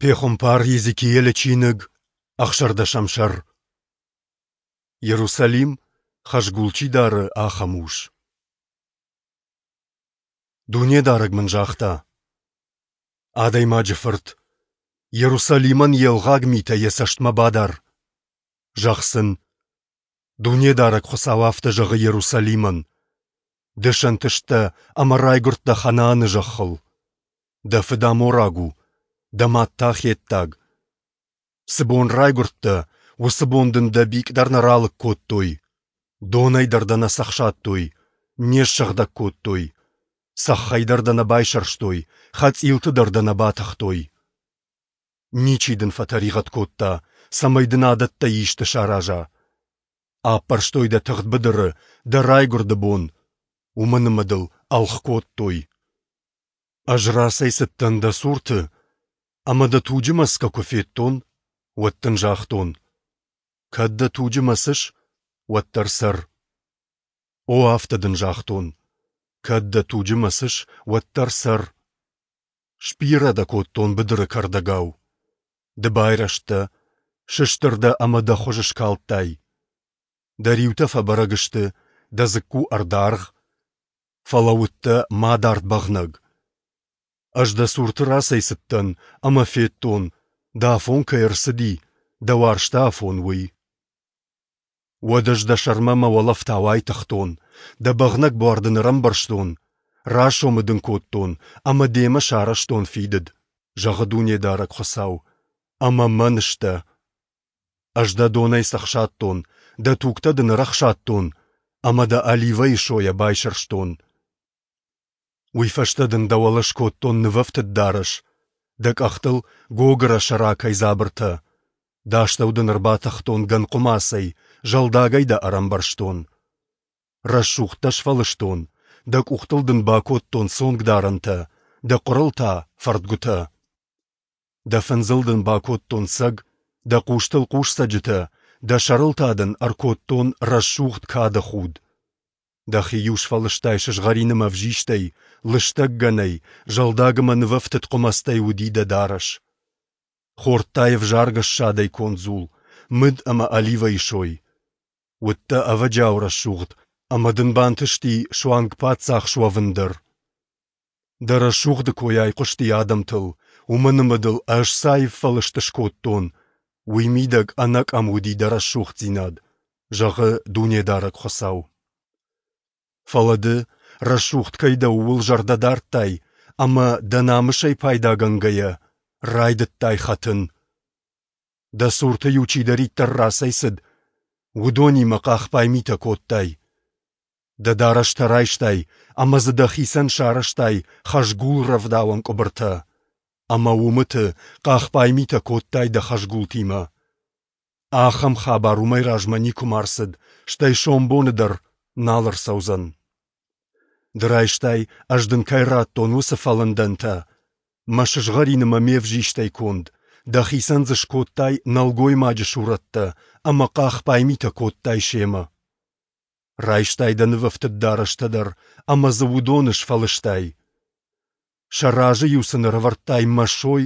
Пехуымпар Йезекиелы чиныг, ӕхсӕрдӕсӕм сӕр. Иерусалим, хӕзгул чи дары, ахӕм ус. Дунедарӕг мын загъта: Адӕймаджы фырт, Иерусалимӕн йе лгъаг митӕ йӕ цӕстмӕ бадар. Зӕгъ сын: Дунедарӕг Хуыцау афтӕ зӕгъы Иерусалимӕн: Ды сӕнтысттӕ ӕмӕ райгуырдтӕ Ханааны зӕххыл. Дӕ фыд амораг у, дӕ мад та хеттаг. Цы бон райгуырдтӕ, уыцы бон дын дӕ бикъ дӕр нӕ ралыг кодтой, донӕй дӕр дӕ нӕ цӕхсадтой, не ссыгъдӕг кодтой, цӕххӕй дӕр дӕ нӕ байсӕрстой, хӕцъилты дӕр дӕ нӕ батыхтой. Ничи дын фӕтӕригъӕд кодта, цӕмӕй дын адӕттӕй исты сараза. Аппӕрстой дӕ тыгъд быдыры дӕ райгуырды бон, уымӕн ӕмӕ дыл ӕлгъ кодтой. Ӕз рацӕйцыдтӕн дӕ цурты ӕмӕ дӕ туджы мӕцгӕ куы федтон, уӕд дын загътон: кӕд дӕ туджы мӕцыс, уӕддӕр цӕр. О, афтӕ дын загътон: кӕд дӕ туджы мӕцыс, уӕддӕр цӕр. Сбирӕ дӕ кодтон быдыры кӕрдӕгау. Ды байрӕзтӕ, сыстыр дӕ ӕмӕ дӕ хуыз скалдтай. Дӕ риутӕ фӕбӕрӕг сты, дӕ дзыкку ӕрдаргъ, фӕлӕ уыдтӕ мадард бӕгънӕг. Ӕз дӕ цурты рацӕйцыдтӕн ӕмӕ федтон, дӕ афон кӕй ӕрцыди, дӕ уарзты афон, уый. Уӕд ӕз дӕ сӕрмӕ мӕ уӕлӕфтау айтыгътон, дӕ бӕгънӕг буар дын ӕрӕмбӕрзтон, расомы дын кодтон ӕмӕ демӕ сарӕзтон фидыд, зӕгъы Дунедарӕг Хуыцау, ӕмӕ мӕн сдӕ. Ӕз дӕ донӕй цӕхсадтон, дӕ тугтӕ дын ӕрӕхсадтон ӕмӕ дӕ оливӕйы сойӕ байсӕрстон. Уый фӕстӕ дын дӕ уӕлӕ скодтон нывӕфтыд дарӕс, дӕ къӕхтыл гогырӕ сӕракӕй дзабыртӕ, дӕ астӕу дын ӕрбатыхтон гӕнхъуымацӕй, зӕлдагӕй дӕ ӕрӕмбӕрзтон. Рӕсугъд дӕ сфӕлыстон, дӕ къухтыл дын бакодтон цонгдарӕнтӕ, дӕ хъуырыл та фӕрдгуытӕ. Дӕ фындзыл дын бакодтон цӕг, дӕ хъустыл хъусцӕджытӕ, дӕ сӕрыл та дын ӕркодтон рӕсугъд кады худ. Дӕхи-иу сфӕлыстай сызгъӕрин ӕмӕ ӕвзистӕй, лыстӕг гӕнӕй, зӕлдаг ӕмӕ нывӕфтыд хъуымӕцтӕй уыди дӕ дарӕс. Хордтай ӕвзаргӕ ссадӕй конд дзул, мыд ӕмӕ оливӕйы сой. Уыдтӕ ӕвӕджиау рӕсугъд, ӕмӕ дын бантысти суанг паддзах суӕвын дӕр. Дӕ рӕсугъды кой айхъуысти адӕмтыл, уымӕн ӕмӕ дыл ӕз цы аив фӕлыст скодтон, уый мидӕг ӕнӕкъӕм уыди дӕ рӕсугъддзинад, зӕгъы Дунедарӕг Хуыцау. Фӕлӕ ды, рӕсугъд кӕй дӕ, ууыл зӕрдӕ дардтай ӕмӕ, дӕ намысӕй пайдагӕнгӕйӕ, райдыдтай хӕтын. Дӕ цурты-иу чидӕриддӕр рацӕйцыд, уыдонимӕ хъахбай митӕ кодтай. Дӕ дарӕстӕ райстай ӕмӕ дзы дӕхицӕн сарӕзтай хӕзгул рӕвдауӕн къуыбыртӕ, ӕмӕ уымыты хъахбай митӕ кодтай дӕ хӕзгултимӕ. Ахӕм хабар уымӕй размӕ никуыма ӕрцыд, стӕй сомбоны дӕр нал ӕрцӕудзӕн. Ды райстай, ӕз дын кӕй радтон, уыцы фӕлындӕнтӕ, мӕ сызгъӕрин ӕмӕ ме взистӕй конд, дӕхицӕн дзы скодтай нӕлгоймаджы сурӕттӕ ӕмӕ хъахбай митӕ кодтай семӕ. Райстай дӕ нывӕфтыд дарӕстӕ дӕр ӕмӕ дзы уыдоны сфӕлыстай. Сӕ разы-иу сын ӕрӕвӕрдтай мӕ сой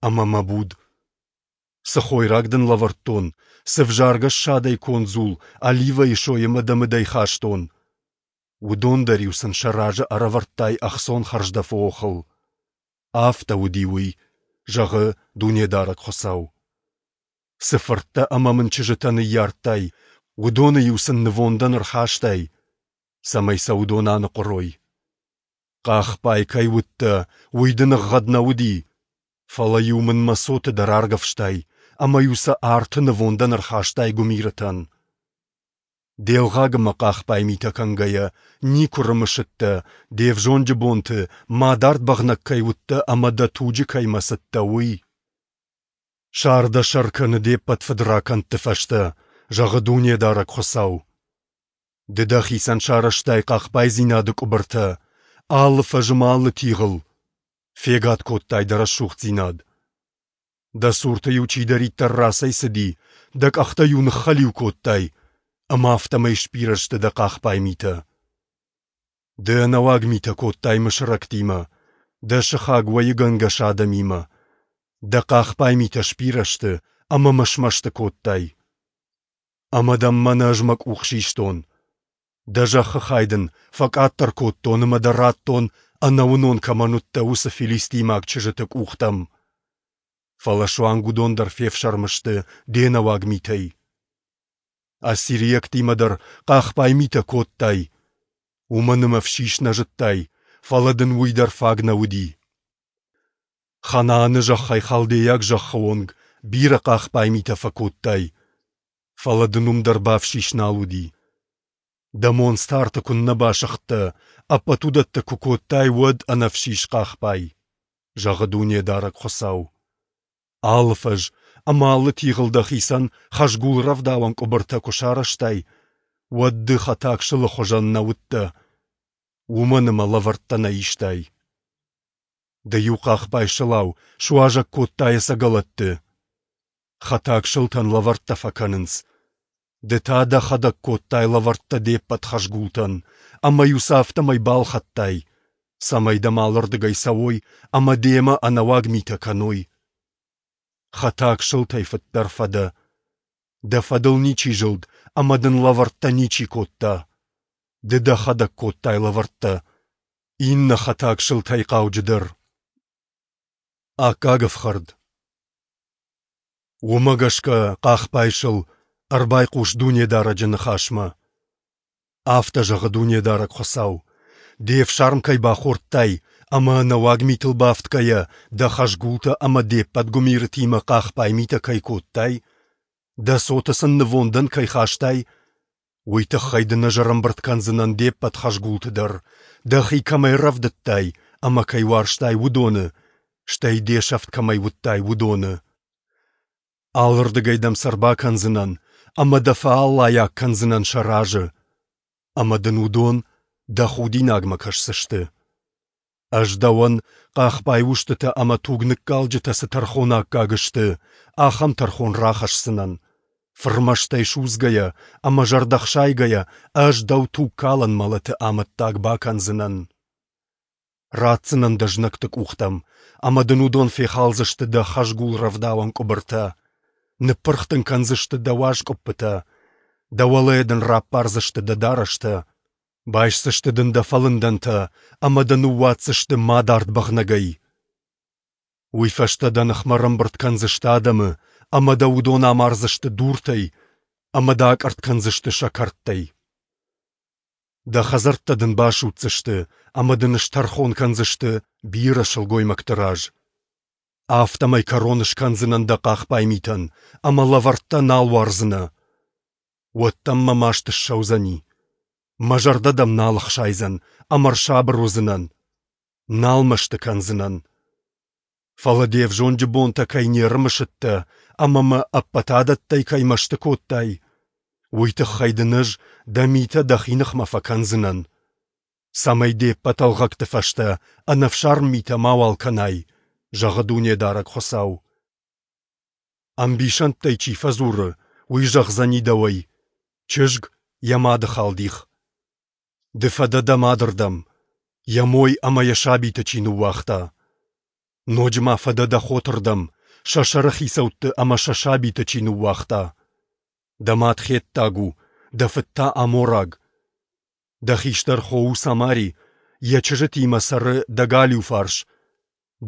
ӕмӕ мӕ буд. Цы хойраг дын лӕвӕрдтон, цы взаргӕ ссадӕй конд дзул, оливӕйы сой ӕмӕ дӕ мыдӕй хастон, уыдон дӕр-иу сын сӕ разы ӕрӕвӕрдтай ӕхцон хӕрздӕфы охыл. Афтӕ уыди уый, зӕгъы Дунедарӕг Хуыцау. Цы фырттӕ ӕмӕ мын чызджытӕ ныййардтай, уыдоны-иу сын нывондӕн ӕрхастай, цӕмӕй сӕ уыдон аныхъуырой. Хъахбай кӕй уыдтӕ, уый дын ӕгъгъӕд нӕ уыди, фӕлӕ-иу мын мӕ цоты дӕр аргӕвстай ӕмӕ-иу сӕ арты нывондӕн ӕрхастай гуымирытӕн. Де лгъаг ӕмӕ хъахбай митӕ кӕнгӕйӕ, никуы рымысыдтӕ, де взонджы бонты мадард бӕгънӕг кӕй уыдтӕ ӕмӕ дӕ туджы кӕй мӕцыдтӕ, уый. Сар дӕ сӕр кӕны де ппӕт фыдракӕндты фӕстӕ, зӕгъы Дунедарӕг Хуыцау. Ды дӕхицӕн сарӕзтай хъахбайдзинады къуыбыртӕ алы фӕзы мӕ алы тигъыл, фегад кодтай дӕ рӕсугъддзинад. Дӕ цурты-иу чидӕриддӕр рацӕйцыди, дӕ къӕхтӕ-иу ныххӕлиу кодтай, ӕмӕ афтӕмӕй сбирӕ сты дӕ хъахбай митӕ. Ды ӕнӕуаг митӕ кодтай мысырӕгтимӕ, дӕ сыхаг уӕйыгӕнгӕс адӕмимӕ. Дӕ хъахбай митӕ сбирӕ сты, ӕмӕ мӕ смӕсты кодтай. Ӕмӕ дӕм мӕнӕ ӕз мӕ къух систон. Дӕ зӕххы хай дын фӕкъаддӕр кодтон ӕмӕ дӕ радтон, ӕнӕуынон кӕмӕн уыдтӕ, уыцы филистимаг чызджыты къухтӕм. Фӕлӕ суанг уыдон дӕр фефсӕрмы сты де нӕуаг митӕй. Ассирийӕгтимӕ дӕр хъахбай митӕ кодтай. Уымӕн ӕмӕ ӕфсис нӕ зыдтай, фӕлӕ дын уый дӕр фаг нӕ уыди. Ханааны зӕххӕй халдейаг зӕххы онг бирӕ хъахбай митӕ фӕкодтай, фӕлӕ дын уым дӕр бафсис нал уыди. Дӕ монцты арты куыннӕ басыгъдтӕ, ӕппӕт уыдӕттӕ куы кодтай, уӕд ӕнӕфсис хъахбай, зӕгъы Дунедарӕг Хуыцау. Алы фӕз ӕмӕ алы тигъыл дӕхицӕн хӕзгул рӕвдауӕн къуыбыртӕ куы сарӕзтай, уӕд ды хӕтаг сылы хуызӕн нӕ уыдтӕ, уымӕн ӕмӕ лӕвӕрттӕ нӕ истай. Ды иу хъахбай сылау суазӕг кодтай ӕцӕгӕлӕтты. Хӕтаг сылтӕн лӕвӕрттӕ фӕкӕнынц. Ды та дӕхӕдӕг кодтай лӕвӕрттӕ де ппӕт хӕзгултӕн, ӕмӕ-иу сӕ афтӕмӕй балхӕдтай, цӕмӕй дӕм алырдыгӕй цӕуой ӕмӕ демӕ ӕнӕуаг митӕ кӕной. Хӕтаг сылтӕй фыддӕр фӕдӕ. Дӕ фӕдыл ничи зылд ӕмӕ дын лӕвӕрттӕ ничи кодта. Ды дӕхӕдӕг кодтай лӕвӕрттӕ, иннӕ хӕтаг сылтӕй хъауджыдӕр. Аккаг ӕфхӕрд. Уымӕ гӕсгӕ, хъахбай сыл, ӕрбайхъус Дунедарӕджы ныхасмӕ. Афтӕ зӕгъы Дунедарӕг Хуыцау: Де фсарм кӕй бахордтай ӕмӕ ӕнӕуаг митыл бафтгӕйӕ дӕ хӕзгултӕ ӕмӕ де ппӕт гуымирытимӕ хъахбай митӕ кӕй кодтай, дӕ цоты сын нывондӕн кӕй хастай, уый тыххӕй дын ӕз ӕрӕмбырд кӕндзынӕн де ппӕт хӕзгулты дӕр, дӕхи кӕмӕй рӕвдыдтай ӕмӕ кӕй уарзтай, уыдоны, стӕй де сӕфт кӕмӕй уыдтай, уыдоны. Алырдыгӕй дӕм сӕ ӕрбакӕндзынӕн ӕмӕ дӕ фӕаллайаг кӕндзынӕн сӕ разы, ӕмӕ дын уыдон дӕ худинагмӕ кӕсдзысты. Ӕз дӕуӕн, хъахбай устытӕ ӕмӕ тугныккалджытӕ цы тӕрхон аккаг сты, ахӕм тӕрхон рахӕсдзынӕн. Фырмӕстӕй судзгӕйӕ ӕмӕ зӕрдӕхсайгӕйӕ ӕз дӕу тугкалӕн мӕлӕты амӕттаг бакӕндзынӕн. Ратдзынӕн дӕ знӕгты къухтӕм, ӕмӕ дын уыдон фехалдзысты дӕ хӕзгул рӕвдауӕн къуыбыртӕ, ныппырх дын кӕндзысты дӕ уаз къуыппытӕ, дӕ уӕлӕ дын раппардзысты дӕ дарӕстӕ, байсдзысты дын дӕ фӕлындӕнтӕ ӕмӕ дӕ ныууадздзысты мадард бӕгънӕгӕй. Уый фӕстӕ дӕ ныхмӕ ӕрӕмбырд кӕндзысты адӕмы, ӕмӕ дӕ уыдон амардзысты дуртӕй ӕмӕ дӕ акъӕртт кӕндзысты сӕ кӕрдтӕй. Дӕ хӕдзӕрттӕ дын басудздзысты ӕмӕ дын стӕрхон кӕндзысты бирӕ сылгоймӕгты раз. Афтӕмӕй кӕрон скӕндзынӕн дӕ хъахбай митӕн, ӕмӕ лӕвӕрттӕ нал уардзынӕ. Уӕд дӕм мӕ маст ссӕудзӕни. Мӕ зӕрдӕ дӕм нал ӕхсайдзӕн ӕмӕ ӕрсабыр уыдзынӕн. Нал мӕсты кӕндзынӕн. Фӕлӕ де взонджы бонтӕ кӕй не рымысыдтӕ ӕмӕ мӕ ӕппӕт адӕттӕй кӕй мӕсты кодтай, уый тыххӕй дын ӕз дӕ митӕ дӕхи ныхмӕ фӕкӕндзынӕн, цӕмӕй де ппӕт ӕлгъӕгты фӕстӕ ӕнӕфсарм митӕ мауал кӕнай, зӕгъы Дунедарӕг Хуыцау. Ӕмбисӕндтӕй чи фӕдзуры, уый зӕгъдзӕни дӕуӕй: Чызг йӕ мады халдих. Ды фӕдӕ дӕ мадырдӕм, йӕ мой ӕмӕ йӕ сабиты чи ныууагъта. Ноджы ма фӕдӕ дӕ хотырдӕм, сӕ сӕрыхицӕутты ӕмӕ сӕ сабиты чи ныууагъта. Дӕ мад хеттаг у, дӕ фыд та амораг. Дӕ хистӕр хо у Самари, йӕ чызджытимӕ цӕры дӕ галиу фарс.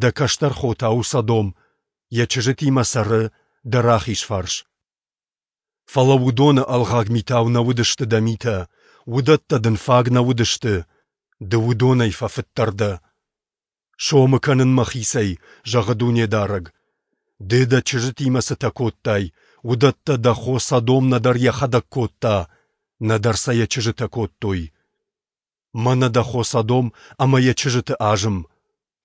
Дӕ кӕстӕр хо та у Содом, йӕ чызджытимӕ цӕры дӕ рахиз фарс. Фӕлӕ уыдоны ӕлгъаг митау нӕ уыдысты дӕ митӕ, уыдӕттӕ дын фаг нӕ уыдысты, ды уыдонӕй фӕфыддӕр дӕ. Сомы кӕнын мӕхицӕй, зӕгъы Дунедарӕг. Ды дӕ чызджытимӕ цытӕ кодтай, уыдӕттӕ дӕ хо Содом нӕдӕр йӕхӕдӕг кодта, нӕдӕр сӕ йӕ чызджытӕ кодтой. Мӕнӕ дӕ хо Содом ӕмӕ йӕ чызджыты азым,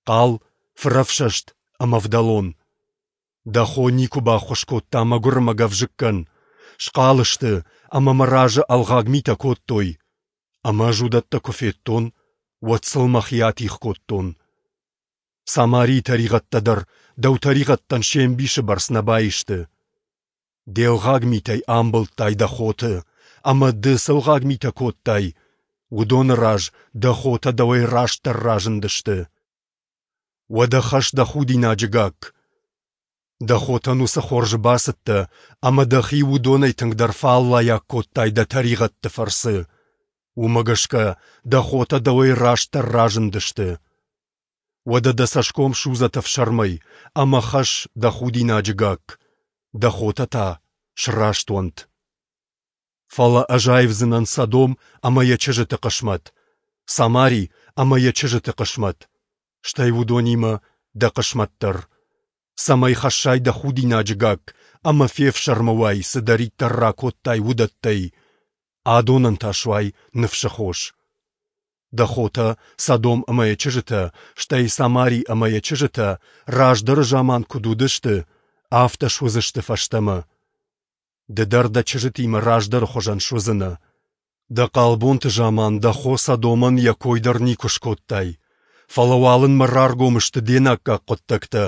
хъал, фырӕфсӕст ӕмӕ ӕвдӕлон. Дӕ хо никуы баххуыс кодта мӕгуыр ӕмӕ гӕвзыккӕн. Схъал сты ӕмӕ мӕ разы ӕлгъаг митӕ кодтой. Ӕмӕ ӕз уыдӕттӕ куы федтон, уӕд сыл мӕхи атигъ кодтон. Самарийы тӕригъӕдтӕ дӕр дӕу тӕригъӕдтӕн се мбисы бӕрц нӕ баисты. Де лгъаг митӕй амбылдтай дӕ хоты, ӕмӕ ды цы лгъаг митӕ кодтай, уыдоны раз дӕ хотӕ дӕуӕй растдӕр разындысты. Уӕдӕ хӕсс дӕ худинаджы гакк. Дӕ хотӕн уыцы хорзы бацыдтӕ ӕмӕ дӕхи уыдонӕй тынгдӕр фӕаллайаг кодтай дӕ тӕригъӕдты фӕрцы. Уымӕ гӕсгӕ дӕ хотӕ дӕуӕй растдӕр разындысты. Уӕдӕ дӕ цӕсгом судзӕд ӕфсӕрмӕй ӕмӕ хӕсс дӕ худинаджы гакк, дӕ хотӕ та сраст уӕнт. Фӕлӕ ӕз аивдзынӕн Содом ӕмӕ йӕ чызджыты хъысмӕт, Самари ӕмӕ йӕ чызджыты хъысмӕт, стӕй уыдонимӕ дӕ хъысмӕт дӕр, цӕмӕй хӕссай дӕ худинаджы гакк ӕмӕ фефсӕрмы уай, цыдӕриддӕр ракодтай, уыдӕттӕй, адонӕн та суай ныфсы хос. Дӕ хотӕ Содом ӕмӕ йӕ чызджытӕ, стӕй Самари ӕмӕ йӕ чызджытӕ раздӕры заман куыд уыдысты, афтӕ суыдзысты фӕстӕмӕ. Ды дӕр дӕ чызджытимӕ раздӕры хуызӕн суыдзынӕ. Дӕ хъалбонты заман дӕ хо Содомӕн йӕ кой дӕр никуы скодтай. Фӕлӕ уалынмӕ раргом сты де наккаг хъуыддӕгтӕ,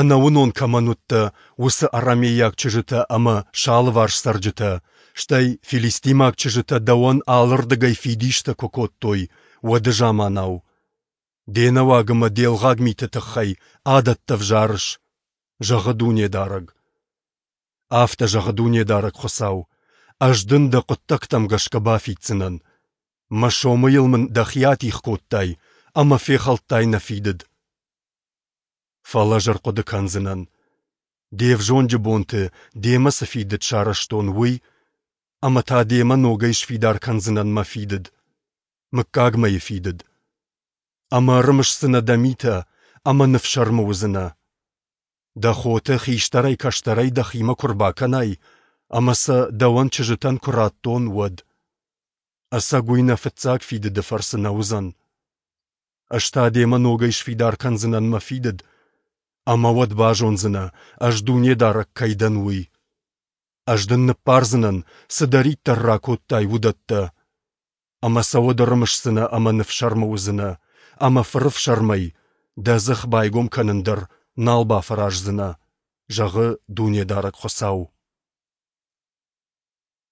ӕнӕуынон кӕмӕн уыдтӕ, уыцы арамейаг чызджытӕ ӕмӕ сӕ алыварс цӕрджытӕ, стӕй филистимаг чызджытӕ дӕуӕн алырдыгӕй фидистӕ куы кодтой, уӕды заманау. Де нӕуаг ӕмӕ де лгъаг миты тыххӕй адӕттӕ взарыс, зӕгъы Дунедарӕг. Афтӕ зӕгъы Дунедарӕг Хуыцау: Ӕз дын дӕ хъуыддӕгтӕм гӕсгӕ бафиддзынӕн. Мӕ сомыйыл мын дӕхи атигъ кодтай ӕмӕ фехӕлдтай нӕ фидыд. Фӕлӕ ӕз ӕрхъуыды кӕндзынӕн, де взонджы бонты демӕ цы фидыд сарӕзтон, уый, ӕмӕ та демӕ ногӕй сфидар кӕндзынӕн мӕ фидыд, мыггагмӕйы фидыд. Ӕмӕ ӕрымысдзынӕ дӕ митӕ ӕмӕ ныфсӕрмы уыдзынӕ. Дӕ хоты хистӕрӕй-кӕстӕрӕй дӕхимӕ куы рбакӕнай ӕмӕ сӕ дӕуӕн чызджытӕн куы раттон, уӕд. Ӕцӕг уый нӕ фыццаг фидыды фӕрцы нӕ уыдзӕн. Ӕз та демӕ ногӕй сфидар кӕндзынӕн мӕ фидыд, ӕмӕ уӕд базондзынӕ, ӕз Дунедарӕг кӕй дӕн, уый. Ӕз дын ныббардзынӕн, цыдӕриддӕр ракодтай, уыдӕттӕ. Ӕмӕ сӕ уӕд ӕрымысдзынӕ ӕмӕ ныфсӕрмы уыдзынӕ, ӕмӕ фырыфсӕрмӕй дӕ дзых байгом кӕнын дӕр нал бафӕраздзынӕ, зӕгъы Дунедарӕг Хуыцау.